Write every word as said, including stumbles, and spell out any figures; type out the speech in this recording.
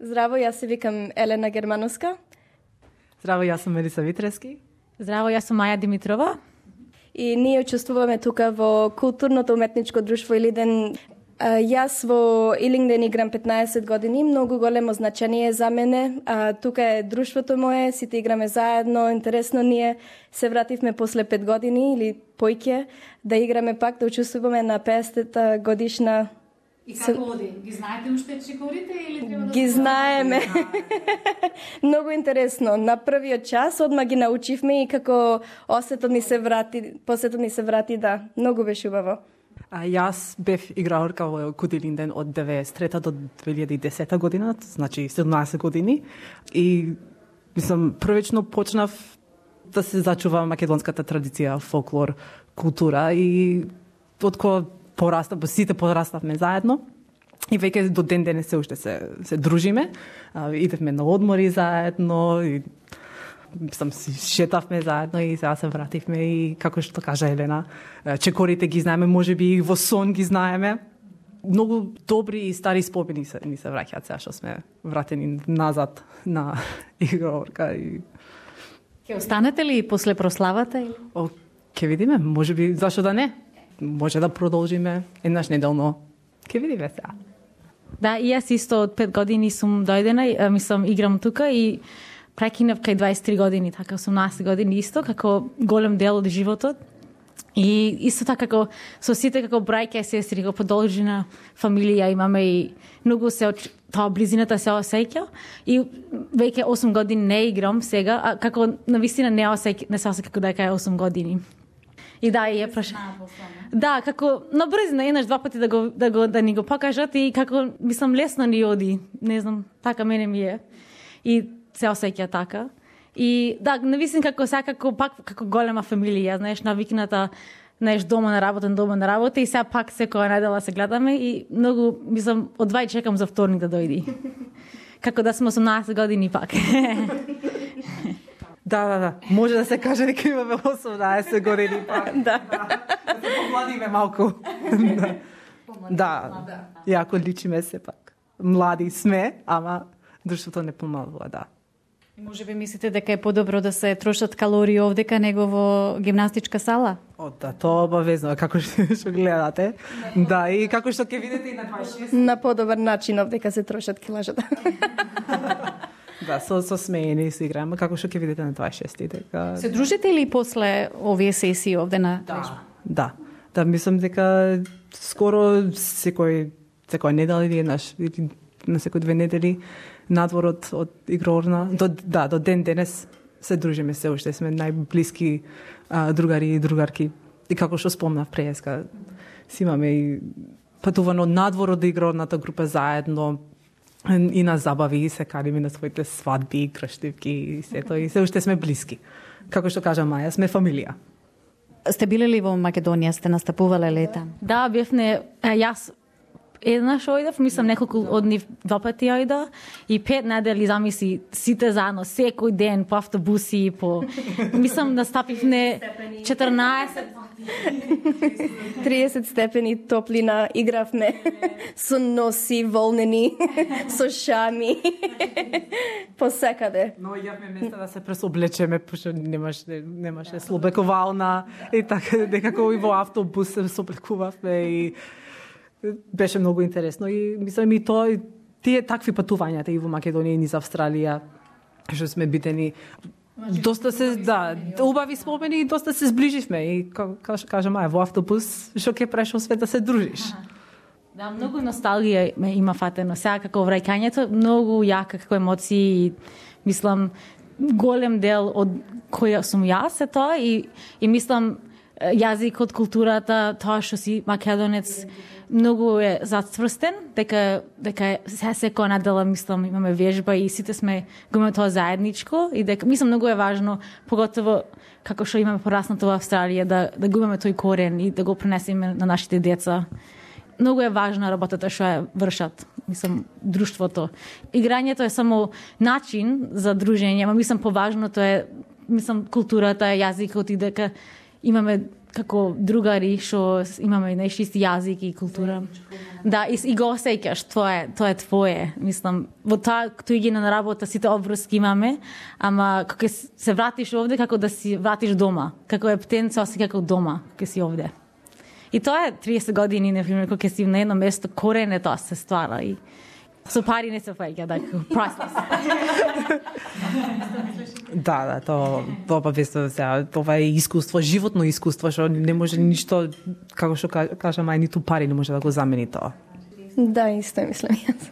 Здраво, јас се викам Елена Германовска. Здраво, јас сум Мелиса Витрески. Здраво, јас сум Маја Димитрова. И ние учествуваме тука во културното уметничко друштво Илинден. Јас во Илинден играм петнаесет години, многу големо значение за мене. А, тука е друштвото мое, сите играме заедно, интересно ние се вративме после пет години или поиќе да играме пак, да учествуваме на петдесетта годишна. И како оди? Ги знаете уште чекорите или треба да ги знаеме? Многу интересно. На првиот час одма ги научивме и како осетот ни се врати, посетот ни се врати, да, многу беше убаво. А, јас бев играорка во Куд Илинден од деветдесет и трета до две илјади и десета година, значи седумнаесет години. И мислам првично почнав да се зачува македонската традиција, фолклор, култура и од кога порастав, сите пораставме заедно. И веќе до ден денес се уште се се дружиме. А, идевме на одмори заедно и сам си шетавме заедно и сега се вративме и како што кажа Елена, чекорите ги знаеме, можеби и во сон ги знаеме. Многу добри и стари спомени се ни се враќаат сега што сме вратени назад на играорка и ќе останете ли после прославата или? О, ќе видиме, можеби зашто да не? Може да продолжиме еднаш неделно. Ќе видиме сега. Да, и јас исто од пет години сум дојдена, мислам играм тука и прекинав кај дваесет и три години, така осумнаесет години исто, како голем дел од животот. И исто така како со сите како браќа и сестри, како продолжена фамилија имаме и многу се тоа близината се осеќа и веќе осум години не играм сега, а како навистина не осеќа, не се осеќа како дека е осум години. И да, и е праша. Да, како на брзина еднаш два пати да го да го да ни го покажат и како мислам лесно ни оди. Не знам, така мене ми е. И се осеќа така. И да, навистина како сега како пак како голема фамилија, знаеш, навикната, знаеш, дома на работа, дома на работа и сега пак секоја недела се гледаме и многу мислам од два чекам за вторник да дојди. Како да сме осумнаесет години пак. Да, да, да. Може да се каже дека имаме осумнаесет години пак. Да. Да се помладиме малку. Да. Да. Јако личиме се пак. Млади сме, ама друштвото не помалува, да. Може би мислите дека е подобро да се трошат калории овдека него во гимнастичка сала? О, да, тоа обавезно, како што гледате. Да, и како што ќе видите и на дваесет и шест. На подобар начин овдека се трошат килажата. Да, со, со смеени се играеме, како што ќе видите на дваесет и шести. Дека... Се дружите ли после овие сесии овде на Да, да. Да, мислам дека скоро секој, секој недела или еднаш, или на секој две недели надвор од, од игрорна. До, да, до ден денес се дружиме се уште, сме најблиски а, другари и другарки. И како што спомнав преска, си имаме и патувано надвор од игрорната група заедно, и на забави, и се кадиме на своите свадби, крштивки и сето, и се уште сме блиски. Како што кажа Маја, сме фамилија. Сте биле ли во Македонија, сте настапувале лета? Да, бевне, јас еднаш ојдов, мислам неколку од нив два пати ојда и пет недели замисли сите заедно, секој ден по автобуси, по мислам настапивме четрнаесет триесет степени топлина, игравме со носи волнени, со шами, посекаде. Но јавме места да се пресоблечеме, пошто немаше немаше слобековална и така некако и во автобус се соблекувавме и беше многу интересно и мислам и тоа и тие такви патувањата и во Македонија и низ Австралија што сме битени доста се да убави спомени и доста се зближивме и како што кажа Маја во автобус што ќе прешо свет да се дружиш. Да, многу носталгија ме има фатено. Сега како враќањето многу јака како емоции и мислам голем дел од која сум јас е тоа и и мислам јазикот, културата, тоа што си македонец многу е зацврстен, дека дека се секоја недела мислам имаме вежба и сите сме го имаме тоа заедничко и дека мислам многу е важно, поготово како што имаме пораснато во Австралија да да го имаме тој корен и да го пренесеме на нашите деца. Многу е важна работата што ја вршат, мислам друштвото. Играњето е само начин за дружење, ама мислам поважното е мислам културата, јазикот и дека имаме како другари што имаме нешто исти јазик и култура. Да, и, и го осеќаш, тоа е, тоа е твое. Мислам, во тоа што идеме на работа сите обврски имаме, ама кога се вратиш овде како да си вратиш дома. Како е птен се осеќа како дома кога си овде. И тоа е триесет години, например, кога си на едно место, корене тоа се ствара и со пари не се фаќа, така, priceless. Да, да, тоа тоа весто сега, тоа е искуство, животно искуство, што не може ништо, како што кажа мај, ниту пари не може да го замени тоа. Да, исто мислам јас.